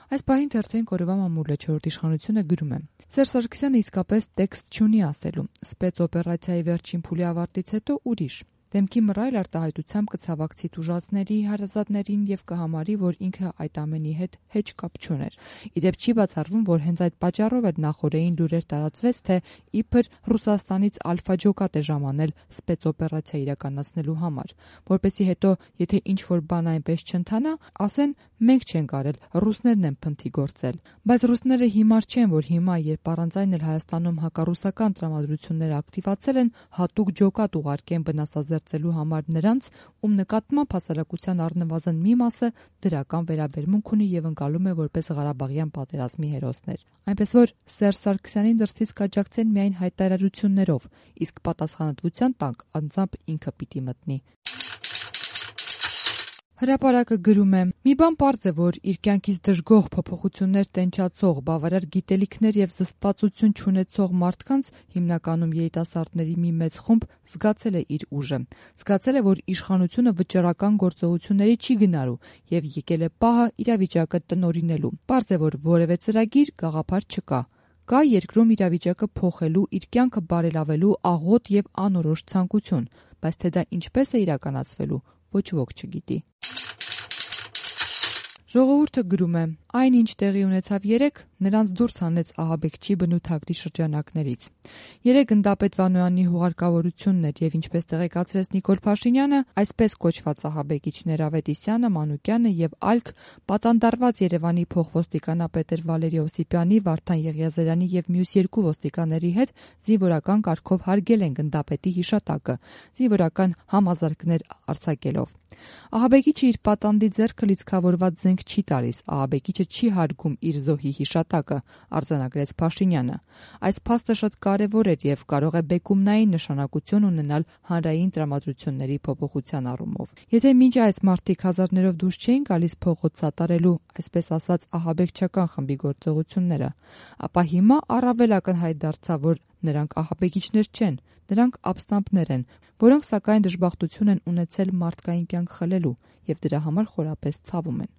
Այս պահին թերթային կորովա մամուլը չորրորդ իշխանությունը գրում է. Սերժ Սարգսյանը իսկապես տեքստ չունի ասելու, սպեցօպերացիայի վերջին փուլի ավարտից հետո ուրիշ. դեմքի մռայլ արտահայտությամբ կցավակցի տուժածների, հարազատներին և կհամարի, որ ինքը այդ ամենի հետ հեչ կապ չուներ։ Իդեպ չի բացառվում, որ հենց այդ պատճառով էր նախօրեին լուրեր տարածվեց, թե իբր Ռուսաստանից ալֆա ջոկատ է ժամանել սպեցօպերացիա իրականացնելու համար, որպեսզի հետո, եթե ինչ-որ բան այնպես չընթանա, ասեն մենք չենք արել, ռուսներն են փնթի գործել։ Բայց ռուսները հիմար չեն, որ հիմա, երբ առանց այն էլ Հայաստանում հակառուսական տրամադրությունները ակտիվացել են, հատուկ ջոկատ ուղարկեն վնասազերծելու համար նրանց, ում նկատմամբ հասարակության առնվազն մի մասը դրական վերաբերմունք ունի եւ ընկալում է որպես Ղարաբաղյան պատերազմի հերոսներ։ Այնպես որ Սերժ Սարգսյանին դրսից կաջակցեն միայն հայտարարություններով, իսկ պատասխանատվության տակ անձամբ ինքը պիտի մտնի։ Հրապարակը գրում է. «Մի բան պարզ է, որ իր կյանքից դժգոհ փոփոխություններ տենչացող, բավարար գիտելիքներ եւ զսպվածություն չունեցող մարդկանց, հիմնականում երիտասարդների մի մեծ խումբ, զգացել է իր ուժը։ Զգացել է, որ իշխանությունը վճռական գործողությունների չի գնալու եւ եկել է պահը իրավիճակը տնօրինելու։ Պարզ է, որ որևէ ծրագիր, գաղափար չկա։ Կա երկրում իրավիճակը փոխելու, իր կյանքը բարելավելու աղոտ եւ անորոշ ցանկություն, բայց թե դա ինչպես է իրականացվելու, ոչ ոք չգիտի»։ Ժողովուրդը գրում է. «Այն, ինչ տեղի ունեցավ երեկ, նրանց դուրս հանեց ահաբեկչի բնութագրի շրջանակներից։ Երեկ Գնդապետ Վանոյանի հուղարկավորությունն էր եւ ինչպես տեղեկացրեց Նիկոլ Փաշինյանը, այսպես կոչված ահաբեկիչներ Ավետիսյանը, Մանուկյանը եւ ԱԼՔ պատանդարված Երևանի փոխոստիկանապետեր Վալերի Օսիպյանի, Վարդան Եղիազարյանի եւ մյուս երկու ոստիկանների հետ զինվորական կարգով հարգել են Գնդապետի հիշատակը, զինվորական համազարկներ արձակելով։ Ահաբեկիչը իր պատանդի ձեռքը լիցքավորված զենք չի տալիս, ահաբեկիչը չի հարգում իր զոհի հիշատակը, արձանագրեց Փաշինյանը։ Այս փաստը շատ կարևոր էր եւ կարող է բեկումնային նշանակություն ունենալ հանրային տրամադրությունների փոփոխության առումով։ Եթե մինչ այս մարդիկ հազարներով դուրս չէին գալիս փողոց սատարելու, այսպես ասած, ահաբեկչական խմբի գործողությունները, ապա հիմա առավել ակնհայտ դարձավ, որ նրանք ահաբեկիչներ չեն, նրանք ապստամբներ են, որոնք սակայն դժբախտություն են ունեցել մարդկային կյանք խլելու եւ դրա համար խորապես ցավում են։